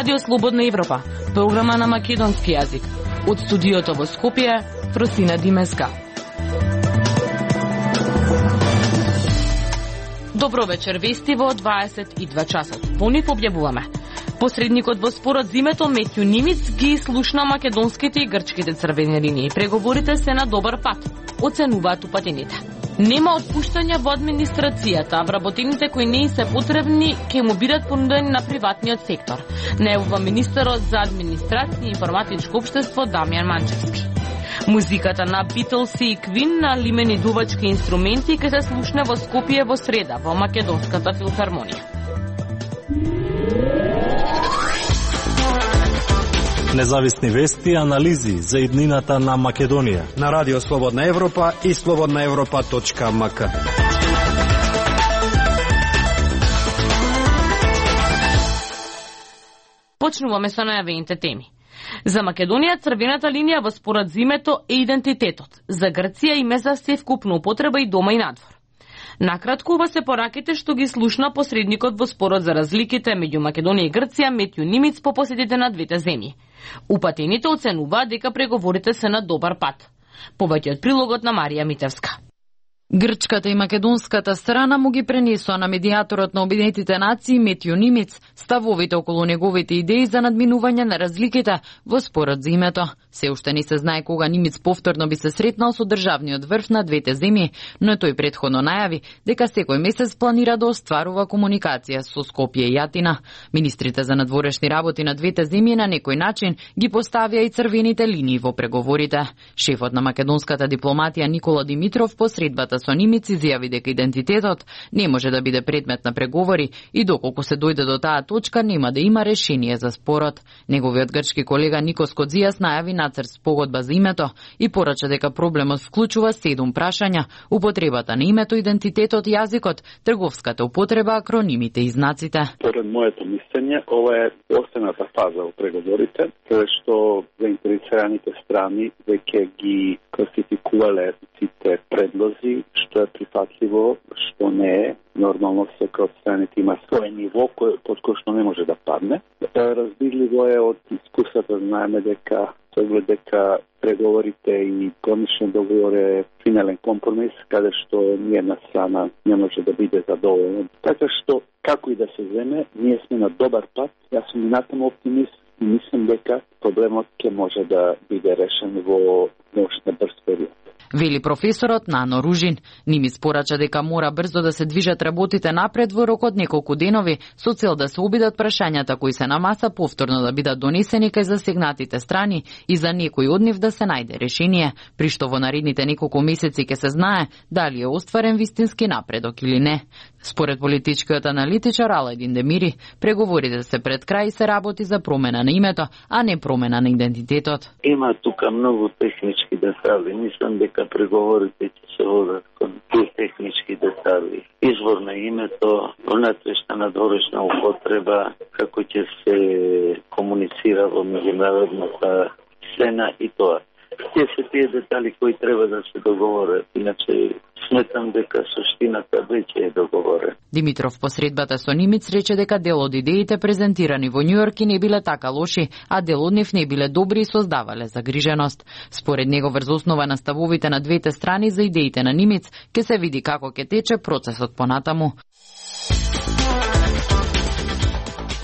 Радио Слободна Европа, програма на македонски јазик. Од студиото во Скопје, Фросина Димеска. Добро вечер, вести во 22 часот. По нив објавуваме. Посредникот во спорот за името Метју Нимиц ги слушна македонските и грчките црвени линии. Преговорите се на добар пат, оценуваат упатените. Нема отпуштања во администрацијата, а вработените кои не се потребни ќе му бидат понудени на приватниот сектор. Најавува министерот за администрација и информатичко општество Дамјан Манчевски. Музиката на Beatles и Queen на лимени дувачки инструменти ќе се слушне во Скопје во среда во Македонската филхармонија. Независни вести и анализи за иднината на Македонија на Радио Слободна Европа и slobodnaevropa.mk. Почнуваме со најавените теми. За Македонија црвената линија во спорот за името е идентитетот. За Грција име за севкупна употреба и дома и надвор. Накратко, ова се пораките што ги слушна посредникот во спорот за разликите меѓу Македонија и Грција Метју Нимиц по посетите на двете земји. Упатените оценуваат дека преговорите се на добар пат. Повеќе од прилогот на Марија Митевска. Грчката и македонската страна му ги пренесоа на медијаторот на Обединетите нации Метју Нимиц ставовите околу неговите идеи за надминување на разликите во спорот за името. Се уште не се знае кога Нимиц повторно би се сретнал со државниот врв на двете земји, но тој претходно најави дека секој месец планира да остварува комуникација со Скопје и Атина. Министрите за надворешни работи на двете земји на некој начин ги поставија и црвените линии во преговорите. Шефот на македонската дипломатија Никола Димитров по средбата со Нимиц изјави дека идентитетот не може да биде предмет на преговори и доколку се дојде до таа точка нема да има решение за спорот. Неговиот грчки колега Никос Кодзијас најави нацрт спогодба за името и порача дека проблемот вклучува 7 прашања: употребата на името, идентитетот, јазикот, трговската употреба, акронимите и знаците. Поред моето мислење, ова е последната фаза во преговорите, каде што заинтересираните страни веќе ги класификувале сите предлози, што е прифатливо, што не е. Нормално секој од страните има свој ниво под кој што не може да падне. Разбирливо е од искуството, знаеме дека преговорите и конечен договор е финален компромис, каде што ниједна страна не може да биде задоволена. Така што, како и да се земе, ние сме на добар пат. Јас сум минатен оптимист и мислам дека проблемот ќе може да биде решен во на брз период. Вели професорот Нано Ружин. Нимиц порача дека мора брзо да се движат работите напред во рок од неколку денови со цел да се обидат прашањата кои се на маса повторно да бидат донесени кај засегнатите страни и за некој од нив да се најде решение, при што во наредните неколку месеци ќе се знае дали е остварен вистински напредок или не. Според политичкиот аналитичар Аладин Демири, преговорите се пред крај и се работи за промена на името, а не промена на идентитетот. Има тука многу технички детали. Мислам дека преговорите ќе се водат кон тие технички детали. Извор на името, внатрешна надворешна употреба, како ќе се комуницира во меѓународната сцена и тоа. Тие се тие детали кои треба да се договорат, иначе сметам дека суштината веќе е договорена. Димитров по средбата со Нимиц рече дека дел од идеите презентирани во Њујорк не биле така лоши, а дел од нив не биле добри и создавале загриженост. Според него врз основа на ставовите на двете страни за идеите на Нимиц ќе се види како ќе тече процесот понатаму.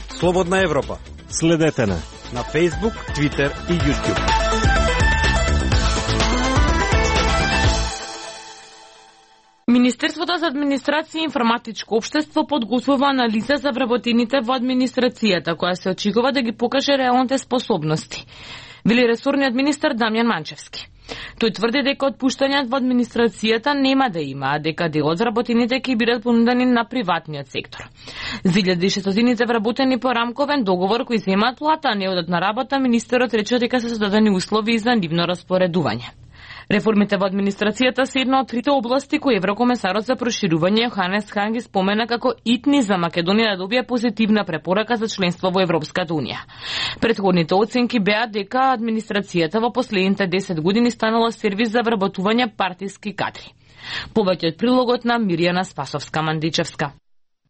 Слободна Европа. Следете на Facebook, Twitter и YouTube. Министерството за администрација и информатичко општество подготвува анализа за вработените во администрацијата, која се очекува да ги покаже реалните способности, вели ресорниот министер Дамјан Манчевски. Тој тврди дека отпуштањата во администрацијата нема да има, а дека дел од вработените ќе бидат понудени на приватниот сектор. За 1600 вработени по рамковен договор кои земаат плата, а не одат на работа, министерот рече дека се создадени услови за нивно распоредување. Реформите во администрацијата се една од трите области кои еврокомесарот за проширување Јоханес Хан ги спомена како итни за Македонија да добие позитивна препорака за членство во Европската унија. Претходните оценки беа дека администрацијата во последните 10 години станала сервис за вработување партиски кадри. Повеќе од прилогот на Мирјана Спасовска-Мандичевска.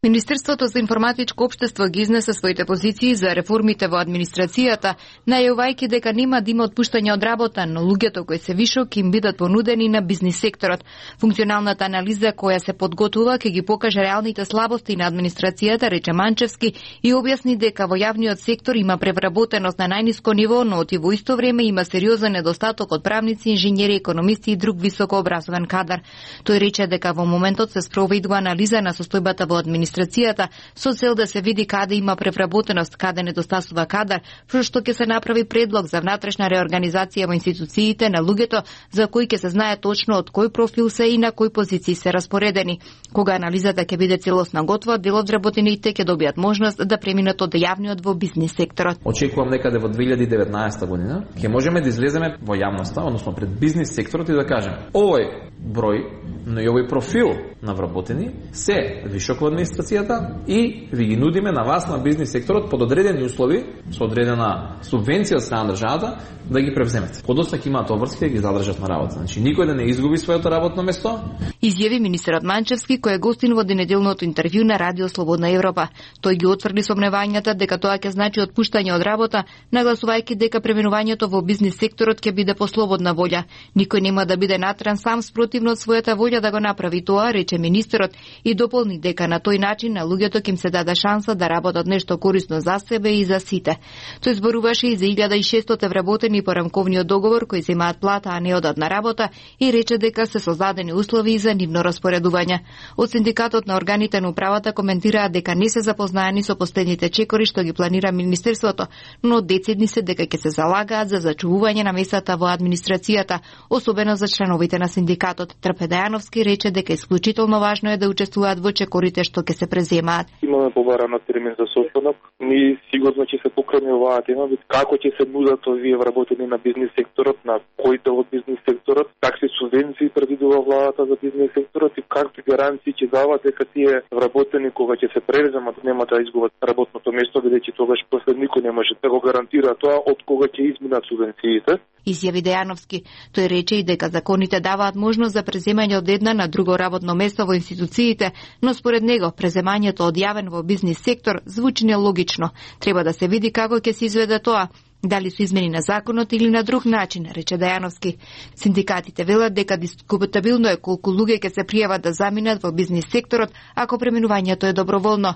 Министерството за информатичко општество ги изнесе своите позиции за реформите во администрацијата, најавувајќи дека нема да има отпуштање од работа, но луѓето кои се вишок им бидат понудени на бизнис секторот. Функционалната анализа која се подготвува ќе ги покаже реалните слабости на администрацијата, рече Манчевски, и објасни дека во јавниот сектор има превработеност на најниско ниво, но во исто време има сериозен недостаток од правници, инженери, економисти и друг високо образован кадар. Тој рече дека во моментот се спроведува анализа на состојбата во администрацијата со цел да се види каде има превработеност, каде недостасува кадар, што ќе се направи предлог за внатрешна реорганизација во институциите на луѓето за кои ќе се знае точно од кој профил се и на кои позиции се распоредени. Кога анализата ќе биде целосно готова, дел од вработените ќе добијат можност да преминат од јавниот во бизнис секторот. Очекувам некаде во 2019 година ќе можеме да излеземе во јавноста, односно пред бизнис секторот и да кажем: овој број, но и овој профил на вработени се вишок во администрацијата и ви ги нудиме на вас на бизнис секторот под одредени услови, со одредена субвенција од страна на државата, да ги превземете. Подоцна ќе имаат обврски да ги задржат на работа. Значи никој да не изгуби своето работно место. Изјави министерот Манчевски, кој е гостин во денеделното интервју на Радио Слободна Европа. Тој ги отврди сомневањата дека тоа ќе значи отпуштање од работа, нагласувајќи дека преминувањето во бизнис секторот ќе биде по слободна волја. Никој нема да биде натран сам спротивно од својата волја да го направи тоа, рече министерот, и дополни дека на тој начин на луѓето ќе им се даде шанса да работат нешто корисно за себе и за сите. Тој зборуваше и за 1600 вработени по рамковниот договор кои земаат плата, а не одат на работа, и рече дека се создадени услови за нивно распоредување. Од синдикатот на органите на управата коментираа дека не се запознаени со последните чекори што ги планира министерството, но децидни се дека ќе се залагаат за зачувување на местата во администрацијата, особено за членовите на синдикатот. Трпе Дајановски рече дека исклучително важно е да учествуваат во чекорите што ќе се преземаат. Имаме побарано термин за состанок. Ние сигурно ќе се покрене оваа тема, како ќе се нудат овие вработени на бизнис секторот, на кој дел од бизнис секторот, какви субвенции предвидува владата за бизнис секторот и какви гаранции ќе дават дека тие вработени кога ќе се превземат нема да изгубат работното место, бидејќи тогаш после никој не може да го гарантира тоа од кога ќе изминат субвенциите. Изјави Дејановски. Тој рече и дека законите даваат можност за преземање од една на друго работно место во институциите, но според него преземањето од јавен во бизнис сектор звучи нелогично. Треба да се види како ќе се изведе тоа. Дали со измени на законот или на друг начин, рече Дајановски. Синдикатите велат дека дискутабилно е колку луѓе ќе се пријават да заминат во бизнис секторот ако преминувањето е доброволно.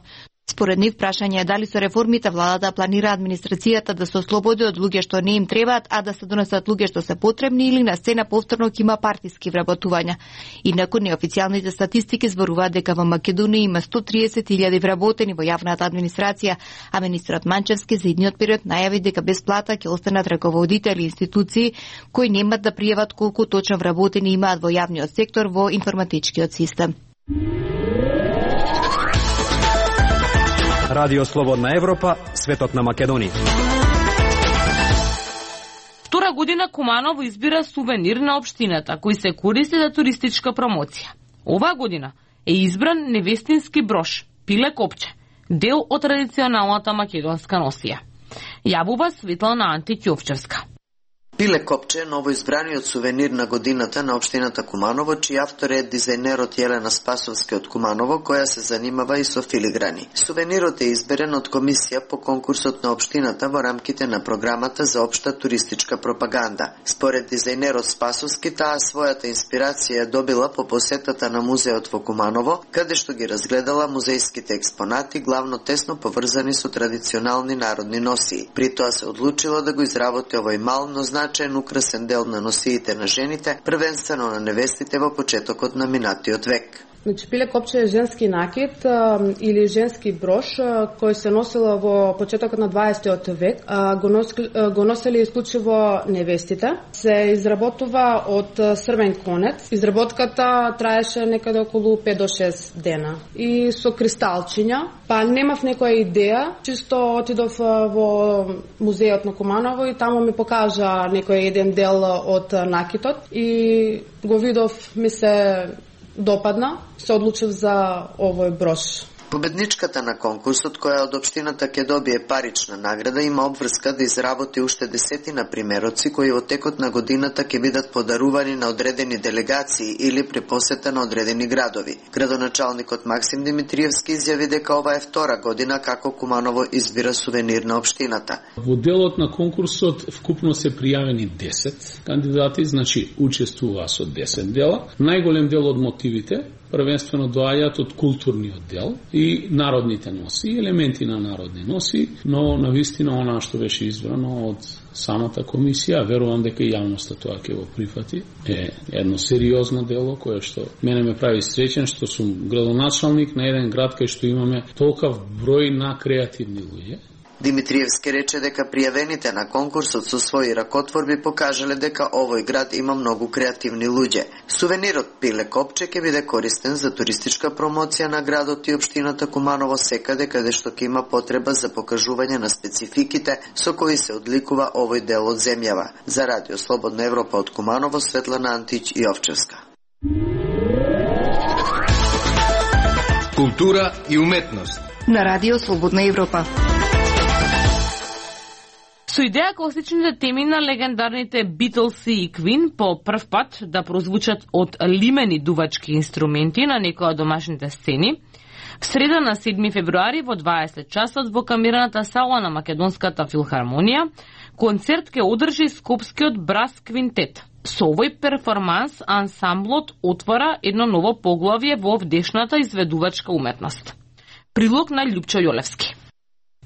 Според нив прашање е дали со реформите владата планира администрацијата да се ослободи од луѓе што не им требаат, а да се донесат луѓе што се потребни или на сцена повторно ќе има партиски вработувања. Инаку неофицијалните статистики зборуваат дека во Македонија има 130.000 вработени во јавната администрација, а министерот Манчевски за идниот период најави дека без плата ќе останат раководители институции кои немат да пријават колку точно вработени имаат во јавниот сектор во информатичкиот систем. Радио Слободна Европа, светот на Македонија. Втора година Куманово избира сувенир на општината, кој се користи за туристичка промоција. Оваа година е избран невестински брош, пиле копче, дел од традиционалната македонска носија. Јавува Светлана Антиќовчевска. Пиле копче е новоизбраниот сувенир на годината на општината Куманово, чиј автор е дизајнерот Јелена Спасовски од Куманово, која се занимава и со филиграни. Сувенирот е изберен од комисија по конкурсот на општината во рамките на програмата за општа туристичка пропаганда. Според дизајнерот Спасовски, таа својата инспирација добила по посетата на музеот во Куманово, каде што ги разгледала музејските експонати, главно тесно поврзани со традиционални народни носии. При тоа се одлучила да го изработи овој мал, но значаен украсен дел на носиите на жените, првенствено на невестите во почетокот на минатиот век. Значи, пиле копче е женски накид или женски брош кој се носила во почетокот на 20 век. Го носели исклучиво невестите. Се изработува од срвен конец. Изработката траеше некаде околу 5 до 6 дена. И со кристалчиња. Па немав некоја идеја, чисто отидов во музеот на Куманово и таму ми покажа некој еден дел од накитот и го видов, ми се допадна, се одлучив за овој брош. Победничката на конкурсот, која од општината ќе добие парична награда, има обврска да изработи уште десетина примероци кои во текот на годината ќе бидат подарувани на одредени делегации или при посета на одредени градови. Градоначалникот Максим Димитриевски изјави дека ова е втора година како Куманово избира сувенир на општината. Во делот на конкурсот вкупно се пријавени 10 кандидати, значи учествуваа со 10 дела. Најголем дел од мотивите првенствено доаѓаат од културниот дел и народните носи, елементи на народни носи, но навистина она што беше избрано од самата комисија, верувам дека и јавноста тоа ќе го прифати, е едно сериозно дело кое што мене ме прави среќен што сум градоначалник на еден град кај што имаме толков број на креативни луѓе. Димитриевски рече дека пријавените на конкурсот со своји ракотворби покажале дека овој град има многу креативни луѓе. Сувенирот пиле копче ќе биде користен за туристичка промоција на градот и општината Куманово секаде каде што ќе има потреба за покажување на спецификите со кои се одликува овој дел од земјава. За Радио Слободна Европа од Куманово, Светлана Антич и Овчевска. Култура и уметност на Радио Слободна Европа. Со идеја класичните теми на легендарните Beatles и Queen по прв пат да прозвучат од лимени дувачки инструменти на некои од домашните сцени, в среда на 7 февруари во 20 часот во камераната сала на Македонската филхармонија, концерт ќе одржи Скопскиот брас квинтет. Со овој перформанс ансамблот отвора едно ново поглавје во вдешната изведувачка уметност. Прилог на Љупчо Јолевски.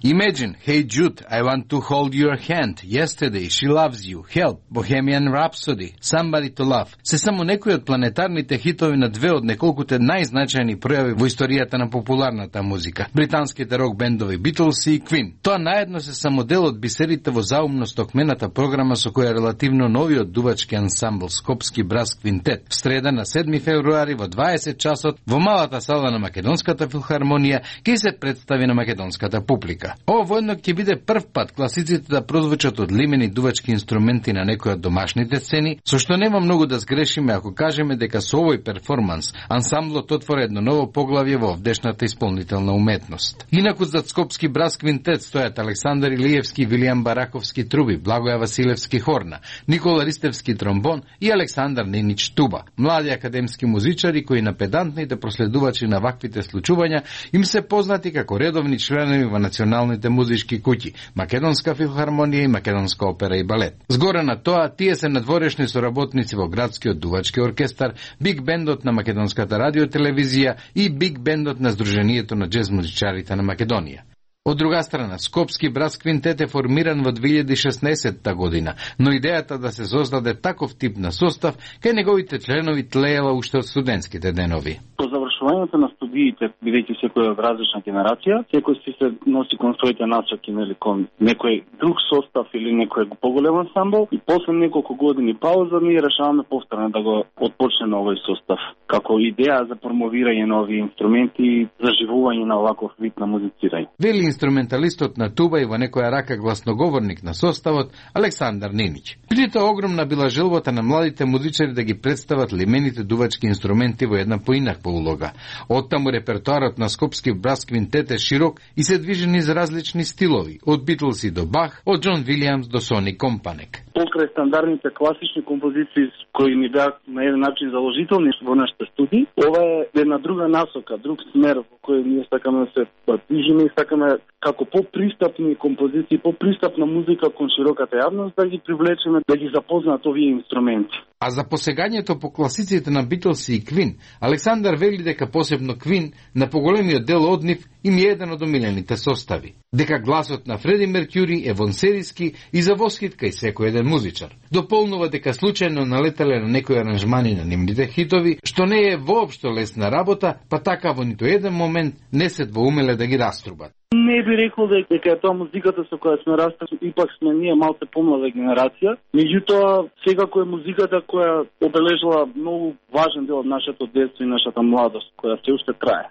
Imagine, Hey Jude, I want to hold your hand. Yesterday, She loves you. Help, Bohemian Rhapsody, Somebody to love. Се само некои од планетарните хитови на две од неколкуте најзначајни пројави во историјата на популарната музика. Британските рок бендови Beatles и Queen. Тоа наедно се само дел од бисерите во заумно стокмената програма со која релативно новиот дувачки ансамбл Скопски брас квинтет в среда на 7 февруари во 20 часот во малата сала на Македонската филхармонија ќе се представи на македонската публика. Ова воедно ќе биде прв пат класиците да прозвучат од лимени дувачки инструменти на некои од домашните сцени, со што нема многу да сгрешиме ако кажеме дека со овој перформанс ансамблот отвора едно ново поглавје во овдешната исполнителна уметност. Инаку зад Скопски брас квинтет стојат Александар Илиевски, Вилијам Бараковски труби, Благоја Василевски хорна, Никола Ристевски тромбон и Александар Ненич туба. Млади академски музичари кои на педантните проследувачи на ваквите случувања им се познати како редовни членови во националните музички куќи, Македонска филхармонија и Македонска опера и балет. Згоре на тоа, тие се надворешни соработници во градскиот дувачки оркестар, биг бендот на Македонската радиотелевизија и биг бендот на Сдруженијето на џез музичарите на Македонија. Од друга страна, Скопски брас квинтет е формиран во 2016 година, но идејата да се создаде таков тип на состав кај неговите членови тлеела уште од студентските денови. По завршувањето на студиите, бидејќи секој од различна генерација, секој си се носи кон своите насоки, нели, кон некој друг состав или некој поголем ансамбл, и после неколку години пауза ние решаваме повторно да го отпочнеме овој состав како идеја за промовирање на овие инструменти и заживување на оваков вид на музицирање. Вели инструменталистот на туба и во некоја рака гласноговорник на составот Александар Ненич. Преди тоа огромна била желбата на младите музичари да ги представат лимените дувачки инструменти во една поинаква улога. Оттаму репертоарот на Скопски брас квинтет е широк и се движи низ различни стилови, од Битлси до Бах, од Џон Вилијамс до Сони Компанек. Покрај стандардните класични композиции кои ни беа на еден начин заложителни во нашите студии, ова е една друга насока, друг смер во кој ние сакаме да се движиме и сакаме како попристапни композиции, попристапна музика кон широката јавност да ги привлечеме, да ги запознаат овие инструменти. А за посегањето по класиците на Битлс и Квин, Александар вели дека посебно Квин на поголемиот дел од нив им е еден од омилените состави. Дека гласот на Фреди Меркјури е вонсериски и за восхит кај секој еден музичар. Дополнува дека случајно налетале на некои аранжмани на нивните хитови, што не е воопшто лесна работа, па така во ниту еден момент не се двоумеле да ги раструбат. Не би рекол дека е тоа музиката со која сме растали, ипак сме ние малце помлада генерација. Меѓутоа, секако е музиката која обележала многу важен дел од нашето детство и нашата младост, која се уште трае.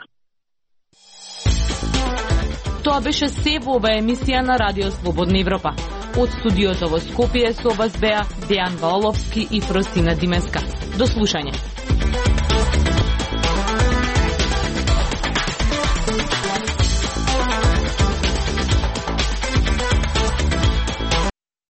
Тоа беше се во оваа емисија на Радио Слободна Европа. Од студиото во Скопје со вас беа Дејан Валовски и Фросина Димеска. До слушање.